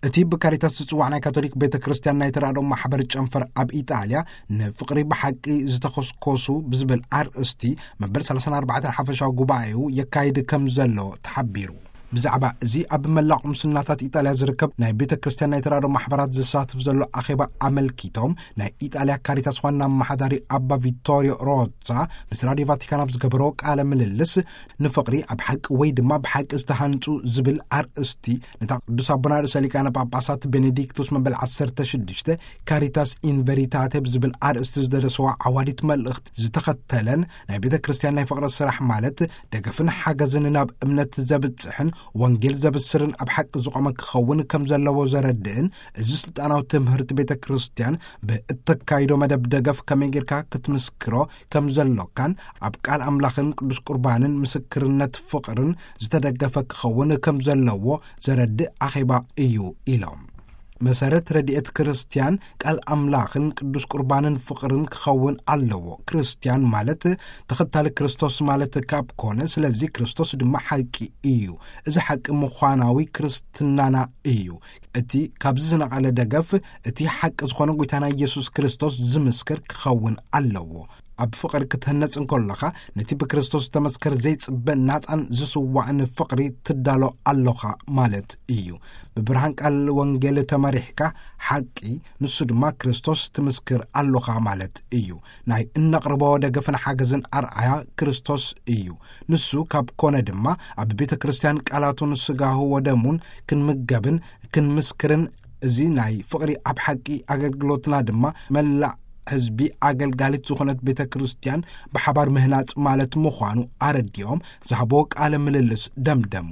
እቲ ብካሪታስ ዝጽዋዕ ናይ ካቶሊክ ቤተ ክርስቲያን ናይ ተራድኦ ማሕበር ጨንፈር ኣብ ኢጣልያ፣ ንፍቕሪ ብሓቂ ዝተኸስኮሱ ብዝብል ኣርእስቲ፣ መበል ሰላሳን ኣርባዕተን ሓፈሻዊ ጉባኤኡ የካይድ ከም ዘሎ ተሓቢሩ። ብዛዕባ እዚ ኣብ መላእ ቁምስናታት ኢጣልያ ዝርከብ ናይ ቤተ ክርስቲያን ናይ ተራድኦ ማሕበራት ዝሳተፍ ዘሎ ኣኼባ ኣመልኪቶም፣ ናይ ኢጣልያ ካሪታስ ዋና ኣመሓዳሪ ኣባ ቪቶሪዮ ሮዛ ምስ ራዲዮ ቫቲካን ኣብ ዝገበሮ ቃለ ምልልስ፣ ንፍቕሪ ኣብ ሓቂ ወይ ድማ ብሓቂ ዝተሃንጹ ዝብል ኣርእስቲ፣ ነታ ቅዱስ ኣቦና ርእሰ ሊቃነ ጳጳሳት ቤኔዲክቱስ መበል ዓሰርተ ሽዱሽተ ካሪታስ ኢን ቨሪታቴ ብዝብል ኣርእስቲ ዝደረሰዋ ዓዋዲት መልእኽቲ ዝተኸተለን፣ ናይ ቤተ ክርስቲያን ናይ ፍቕሪ ስራሕ ማለት ደገፍን ሓገዝን ናብ እምነት ዘብጽሕን ወንጌል ዘብስርን ኣብ ሓቂ ዝቖመ ክኸውን ከም ዘለዎ ዘረድእን፣ እዚ ስልጣናዊ ትምህርቲ ቤተ ክርስቲያን ብእተካይዶ መደብ ደገፍ ከመይ ጌርካ ክትምስክሮ ከም ዘሎካን፣ ኣብ ቃል ኣምላኽን ቅዱስ ቁርባንን ምስክርነት ፍቕርን ዝተደገፈ ክኸውን ከም ዘለዎ ዘረድእ ኣኼባ እዩ ኢሎም። መሰረት ረድኤት ክርስቲያን ቃል ኣምላኽን ቅዱስ ቁርባንን ፍቕርን ክኸውን ኣለዎ። ክርስቲያን ማለት ተኸታሊ ክርስቶስ ማለት ካብ ኮነ፣ ስለዚ ክርስቶስ ድማ ሓቂ እዩ። እዚ ሓቂ ምዃናዊ ክርስትናና እዩ። እቲ ካብዚ ዝነቐለ ደገፍ፣ እቲ ሓቂ ዝኾነ ጎይታና ኢየሱስ ክርስቶስ ዝምስክር ክኸውን ኣለዎ። ኣብ ፍቕሪ ክትህነጽ እንከለኻ፣ ነቲ ብክርስቶስ ዝተመስከረ ዘይጽበ ናጻን ዝስዋዕን ፍቕሪ ትዳሎ ኣሎኻ ማለት እዩ። ብብርሃን ቃል ወንጌል ተመሪሕካ፣ ሓቂ፣ ንሱ ድማ ክርስቶስ ትምስክር ኣሎኻ ማለት እዩ። ናይ እነቕርቦ ደገፍን ሓገዝን ኣርኣያ ክርስቶስ እዩ። ንሱ ካብ ኮነ ድማ፣ ኣብ ቤተ ክርስቲያን ቃላቱን ስጋሁ ወደሙን ክንምገብን ክንምስክርን፣ እዚ ናይ ፍቕሪ ኣብ ሓቂ ኣገልግሎትና ድማ መላእ ህዝቢ ኣገልጋሊት ዝኾነት ቤተ ክርስቲያን ብሓባር ምህናጽ ማለት ምዃኑ ኣረዲኦም ዝሃቦ ቃለ ምልልስ ደምደሙ።